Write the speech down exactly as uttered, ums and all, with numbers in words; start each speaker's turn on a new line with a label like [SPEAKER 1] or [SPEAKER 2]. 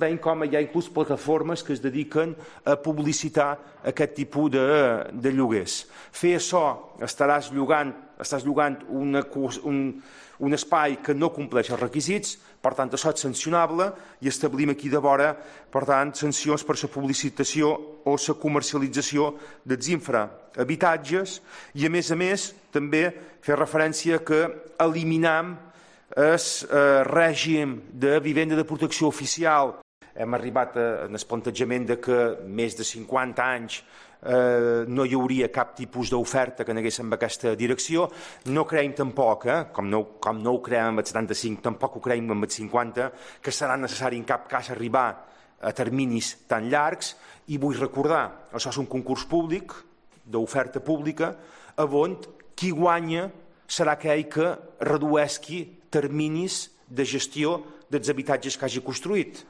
[SPEAKER 1] Veiem com hi ha inclús plataformes que es dediquen a publicitar aquest tipus de, de lloguers. Fer això, estaràs llogant, estàs llogant una, un, un espai que no compleix els requisits, per tant, això és sancionable i establim aquí de vora, per tant, sancions per la publicitació o la comercialització dels infrahabitatges i, a més a més, també fer referència que eliminam el eh, règim de vivenda de protecció oficial. Hem arribat al plantejament de que més de cinquanta anys eh, no hi hauria cap tipus d'oferta que anés en aquesta direcció. No creiem tampoc, eh, com, no, com no ho creiem amb el setanta-cinc, tampoc ho creiem amb el cinquanta, que serà necessari en cap cas arribar a terminis tan llargs. I vull recordar, això és un concurs públic, d'oferta pública, on qui guanya serà aquell que redueixi terminis de gestió dels habitatges que hagi construït.